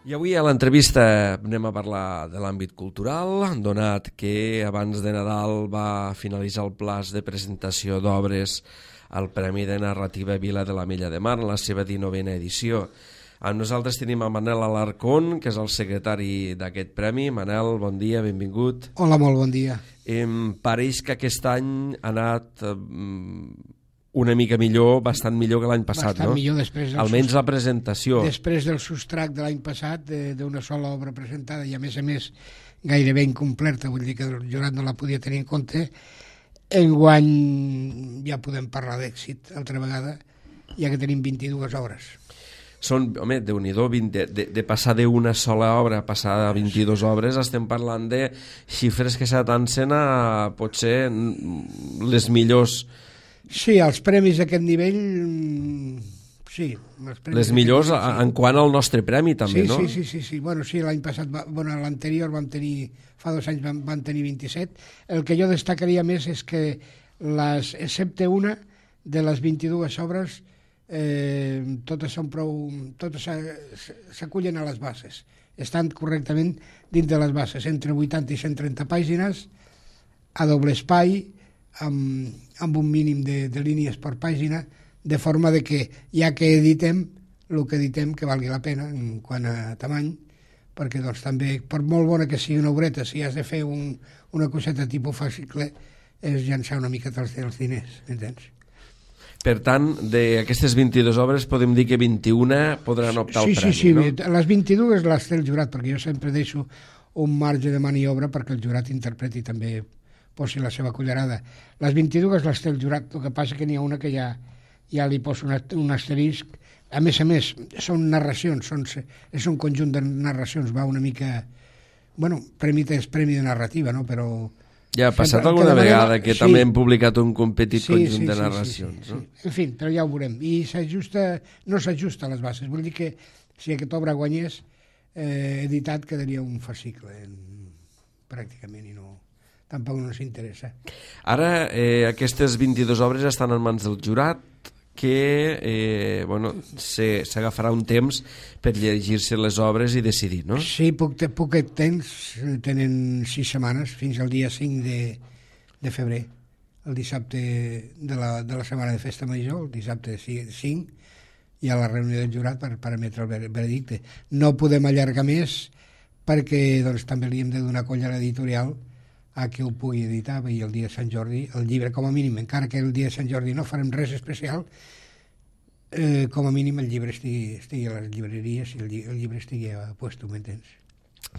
I avui a l'entrevista anem a parlar de l'àmbit cultural, donat que abans de Nadal va finalitzar el plaç de presentació d'obres al Premi de Narrativa Vila de l'Ametlla de Mar en la seva 19a edició. Amb nosaltres tenim a Manel Alarcón, que és el secretari d'aquest premi. Manel, bon dia, benvingut. Hola, molt bon dia. Pareix que aquest any ha anat una mica millor, bastant millor que l'any passat, bastant no? Millor després del almenys la presentació. Després del sostrac de l'any passat, d'una sola obra presentada i a més gairebé incompleta, vull dir que el jurat no la podia tenir en compte, enguany ja podem parlar d'èxit altra vegada, ja que tenim 22 obres. Són, home, Déu-n'hi-do, de passar d'una sola obra a passar a 22 obres, estem parlant de xifres que s'atancen a potser les millors. Sí, els premis d'aquest nivell, sí. Les millors en quant al nostre premi, també, no? Sí. Bueno, sí, l'any passat, l'anterior vam tenir, fa 2 anys vam tenir 27. El que jo destacaria més és que, excepte una de les 22 obres, totes s'acullen a les bases. Estan correctament dins de les bases, entre 80 i 130 pàgines, a doble espai, amb un mínim de línies per pàgina, de forma de que, ja que editem, el que editem que valgui la pena en quant a tamany, perquè doncs, també, per molt bona que sigui una obreta, si has de fer una coseta tipus fascicle, és llançar una mica dels diners, entens? Per tant, d'aquestes 22 obres podem dir que 21 podran optar al premi, sí, no? Les 22 les té el jurat, perquè jo sempre deixo un marge de maniobra perquè el jurat interpreti també, posi la seva cullerada. Les 22 les té el jurat, el que passa que n'hi ha una que ja li poso un asterisc. A més, són narracions, és un conjunt de narracions, va una mica... Bueno, premi de narrativa, no? Però... Ja ha passat alguna vegada que també hem publicat un petit conjunt de narracions, no? En fi, però ja ho veurem. I no s'ajusta a les bases. Vull dir que si aquesta obra guanyés, editat quedaria un fascicle, pràcticament, i no... tampoc no s'interessa. Ara, aquestes 22 obres estan en mans del jurat, que s'agafarà un temps per llegir-se les obres i decidir, no? Sí, poquet temps, tenen 6 setmanes, fins al dia 5 de febrer, el dissabte de la setmana de Festa Major, el dissabte 5, hi ha la reunió del jurat per emetre el veredicte. No podem allargar més perquè doncs, també li hem de donar colla a l'editorial a que ho pugui editar, i el dia de Sant Jordi, el llibre com a mínim, encara que el dia de Sant Jordi no farem res especial, com a mínim el llibre estigui a les llibreries i el llibre estigui a puesto, m'entens?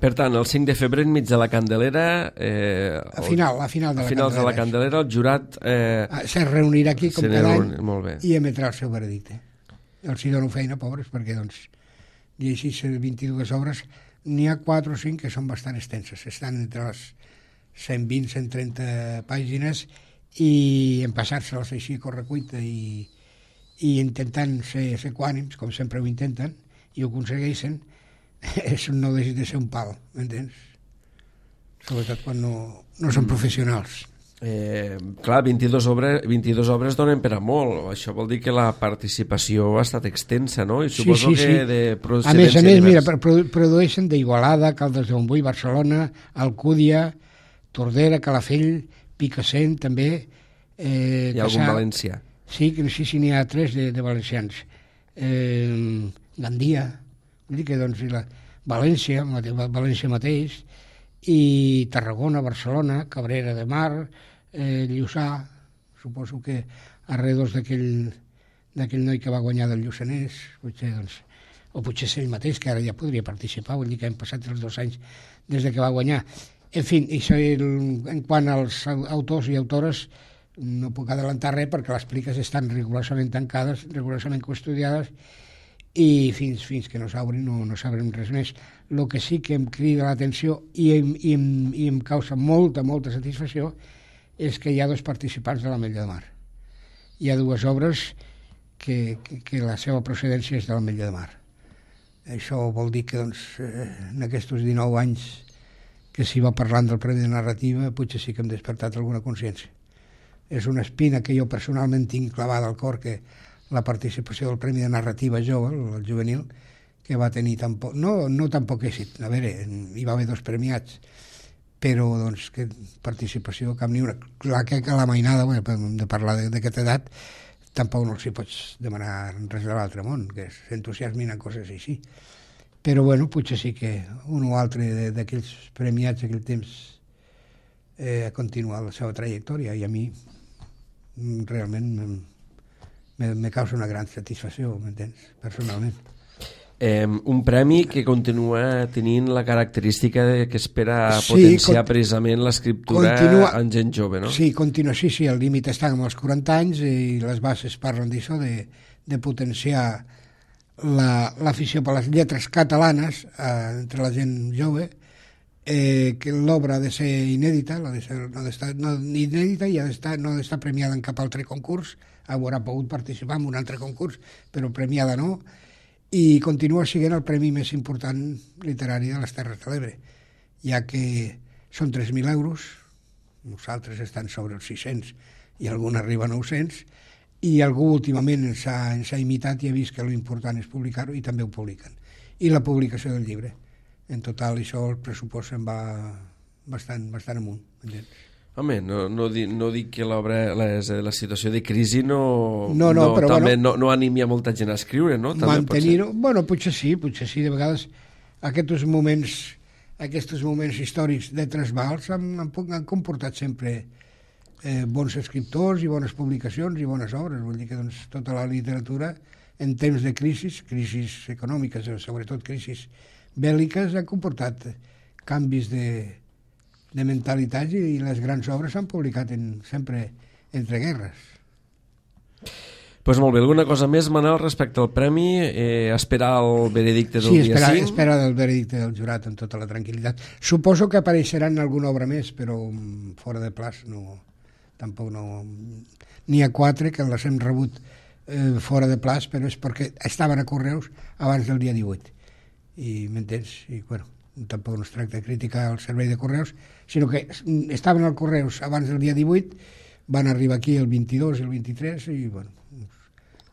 Per tant, el 5 de febrer, enmig de la Candelera... A final de la Candelera, el jurat... se reunirà aquí com cada any i emetrà el seu veredicte. Els hi dono feina, pobres, perquè doncs, llegir 22 obres, n'hi ha 4 o 5 que són bastant extenses, estan entre les 120-130 pàgines, i en passar-se-les així a correcuita i intentant ser equànims, com sempre ho intenten, i ho aconsegueixen, no deixa de ser un pal, m'entens? Sobretot quan no són professionals. Clar, 22 obres donen per a molt. Això vol dir que la participació ha estat extensa, no? I suposo que de procedència... A més, mira, produeixen d'Igualada, Caldes de Montbui, Barcelona, Alcúdia, Tordera, Calafell, Picassent, també. Hi ha algun valencià? Sí, n'hi ha 3 de valencians. Gandia, vull dir que doncs, València mateix, i Tarragona, Barcelona, Cabrera de Mar, Lluçà, suposo que arredors d'aquell noi que va guanyar del Lluçanès, potser, doncs, o potser és ell mateix, que ara ja podria participar, vull dir que hem passat els 2 anys des de que va guanyar. En fi, en quant als autors i autores, no puc adelantar res perquè les pliques estan rigorosament tancades, rigorosament custodiades, i fins que no s'obrin no sabrem res més. El que sí que em crida l'atenció i em causa molta satisfacció és que hi ha 2 participants de l'Ametlla de Mar. Hi ha 2 obres que la seva procedència és de l'Ametlla de Mar. Això vol dir que doncs, en aquests 19 anys que s'hi va parlant del Premi de Narrativa, potser sí que hem despertat alguna consciència. És una espina que jo personalment tinc clavada al cor, que la participació del Premi de Narrativa jove, el juvenil, que va tenir no tan poc èxit. A veure, hi va haver 2 premiats, però doncs que participació cap ni una. Clar que a la mainada, bueno, de parlar d'aquesta edat, tampoc no els hi pots demanar res de l'altre món, que s'entusiasmin en coses així. Però bueno, potser sí que un o altre d'aquells premiats d'aquell temps ha continuat la seva trajectòria, i a mi realment me causa una gran satisfacció, m'entens, personalment. Un premi que continua tenint la característica que espera potenciar precisament l'escriptura en gent jove, no? Sí, sí, el límit està amb els 40 anys i les bases parlen d'això, de potenciar l'afició per les lletres catalanes entre la gent jove, que l'obra ha de ser inèdita, no ha d'estar inèdita i no ha d'estar premiada en cap altre concurs, haurà pogut participar en un altre concurs, però premiada no, i continua sent el premi més important literari de les Terres de l'Ebre, ja que són 3.000 euros, nosaltres estan sobre els 600 i algun arriba a 900, i algú últimament ens ha imitat i ha vist que l'important és publicar-ho, i també ho publiquen. I la publicació del llibre. En total, això el pressupost se'n va bastant amunt. Home, no dic que l'obra, la situació de crisi no animi a molta gent a escriure, no? Mantenir-ho, bueno, potser sí, de vegades aquests moments històrics de trasbals han comportat sempre bons escriptors i bones publicacions i bones obres. Vull dir que tota la literatura, en temps de crisis econòmiques, sobretot crisis bèl·liques, ha comportat canvis de mentalitats, i les grans obres s'han publicat sempre entre guerres. Doncs molt bé, alguna cosa més, Manel, respecte al premi? Esperar el veredicte del dia 5? Sí, esperar el veredicte del jurat amb tota la tranquil·litat. Suposo que apareixeran alguna obra més, però fora de plaç tampoc no. N'hi ha 4 que les hem rebut fora de plaç, però és perquè estaven a correus abans del dia 18. I m'entens? I bueno, tampoc no es tracta de criticar el servei de correus, sinó que estaven al correus abans del dia 18, van arribar aquí el 22 i el 23 i bueno,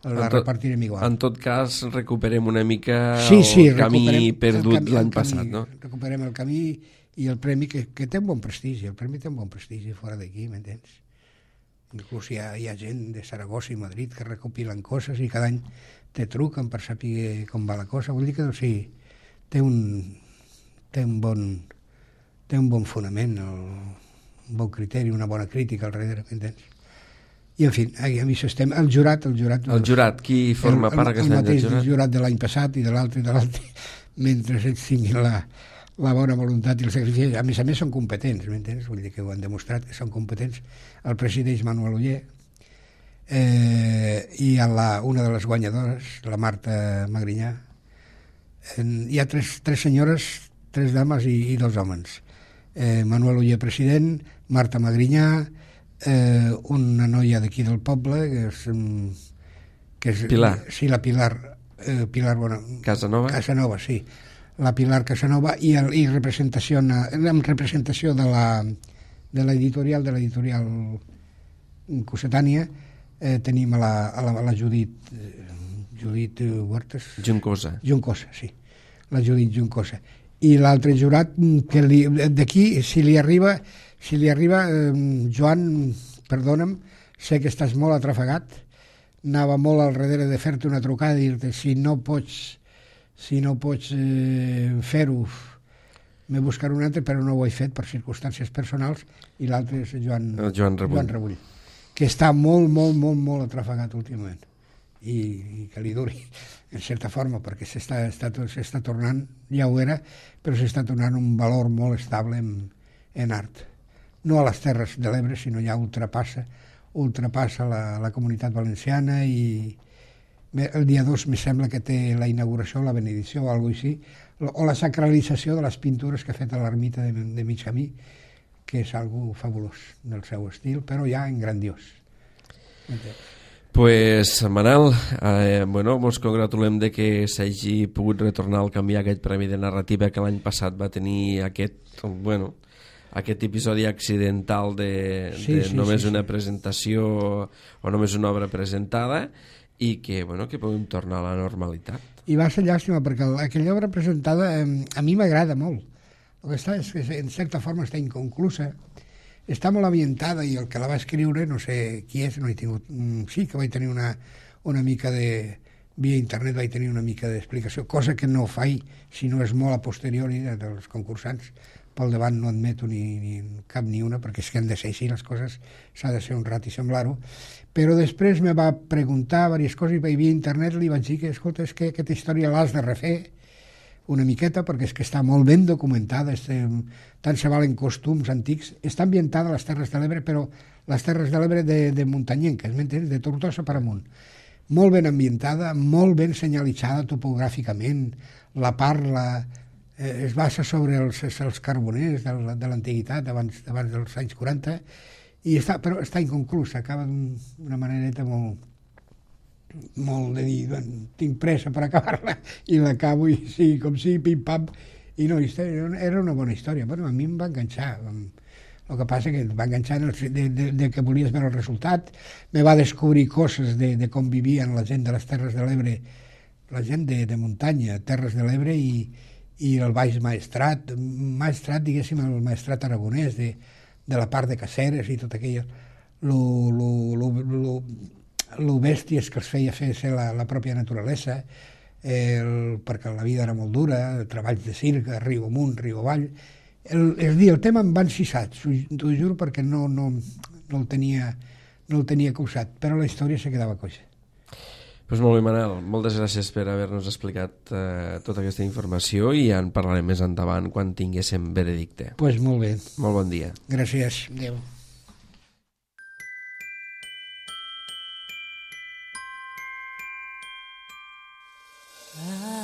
la repartirem igual. En tot cas, recuperem una mica el camí perdut l'any passat, no? Recuperem el camí i el premi que té un bon prestigi, fora d'aquí, m'entens? Inclús hi ha gent de Saragossa i Madrid que recopilen coses i cada any te truquen per saber com va la cosa. Vull dir que sí, té un bon fonament, un bon criteri, una bona crítica al darrere, m'entens? I, en fi, amb això estem. El jurat... El jurat, qui forma part aquest any del jurat? El jurat de l'any passat i de l'altre, mentre ells tinguin la bona voluntat i el sacrifici. A més, són competents, m'entens? Vull dir que ho han demostrat, que són competents. El presideix Manuel Oller, i una de les guanyadores, la Marta Magrinyà. Hi ha tres senyores, 3 dames i 2 homes. Manuel Oller, president, Marta Magrinyà, una noia d'aquí del poble, que és Pilar. Sí, la Pilar Casanova, sí. La Pilar Casanova, i en representació de l'editorial Cossetània, tenim a la Judit Huertas. Juncosa, sí. La Judit Juncosa. I l'altre jurat, que d'aquí, si li arriba, Joan, perdona'm, sé que estàs molt atrafegat, anava molt al darrere de fer-te una trucada i dir-te si no pots fer-ho, m'he buscat un altre, però no ho he fet per circumstàncies personals, i l'altre és Joan Rebull, que està molt, molt, molt, molt atrafegat últimament, i que li duri, en certa forma, perquè s'està tornant, ja ho era, però s'està tornant un valor molt estable en art. No a les Terres de l'Ebre, sinó ja ultrapassa la comunitat valenciana, i el dia 2 me sembla que té la inauguració, la benedicció o alguna cosa així, o la sacralització de les pintures que ha fet a l'ermita de mig camí, que és algo fabulós del seu estil, però ja en grandiós. Pues, Manel, ens congratulem de que s'hagi pogut retornar al camí aquest premi de narrativa que l'any passat va tenir aquest episodi accidental de només una presentació o només una obra presentada, i que podem tornar a la normalitat. I va ser llàstima, perquè aquella obra presentada a mi m'agrada molt. El que està és que en certa forma està inconclusa, està molt ambientada, i el que la va escriure, no sé qui és, no he tingut... Sí que vaig tenir una mica de... Via internet vaig tenir una mica d'explicació, cosa que no faig si no és molt a posteriori dels concursants. Pel davant no admeto ni cap ni una, perquè és que han de ser així les coses, s'ha de ser honrat i semblar-ho. Però després me va preguntar diverses coses, i via internet li vaig dir que, escolta, és que aquesta història l'has de refer una miqueta, perquè és que està molt ben documentada, tant se valen costums antics, està ambientada a les Terres de l'Ebre, però les Terres de l'Ebre de muntanyenques, m'entens? De Tortosa per amunt. Molt ben ambientada, molt ben senyalitzada topogràficament, la parla es basa sobre els carboners de l'antiguitat, abans dels anys 40, però està inconclusa, acaba d'una manera molt de dir, tinc pressa per acabar-la, i l'acabo, i sí, com sí, pim-pam, i no, era una bona història. Bueno, a mi em va enganxar. El que passa que va enganxar de que volies veure el resultat, me va descobrir coses de com vivien la gent de les Terres de l'Ebre, la gent de muntanya, Terres de l'Ebre, i el Baix Maestrat, diguéssim, el Maestrat aragonès, de la part de Caceres i tot aquell... Lo bèsties que els feia ser la pròpia naturalesa, perquè la vida era molt dura, treballs de circ, riu amunt, riu avall... És dir, el tema em va encisat, t'ho juro, perquè no el tenia causat, però la història se quedava coixa. Pues molt bé, Manel, moltes gràcies per haver-nos explicat tota aquesta informació, i ja en parlarem més endavant quan tinguéssim veredicte. Pues molt bé. Molt bon dia. Gràcies. Adéu. Ah.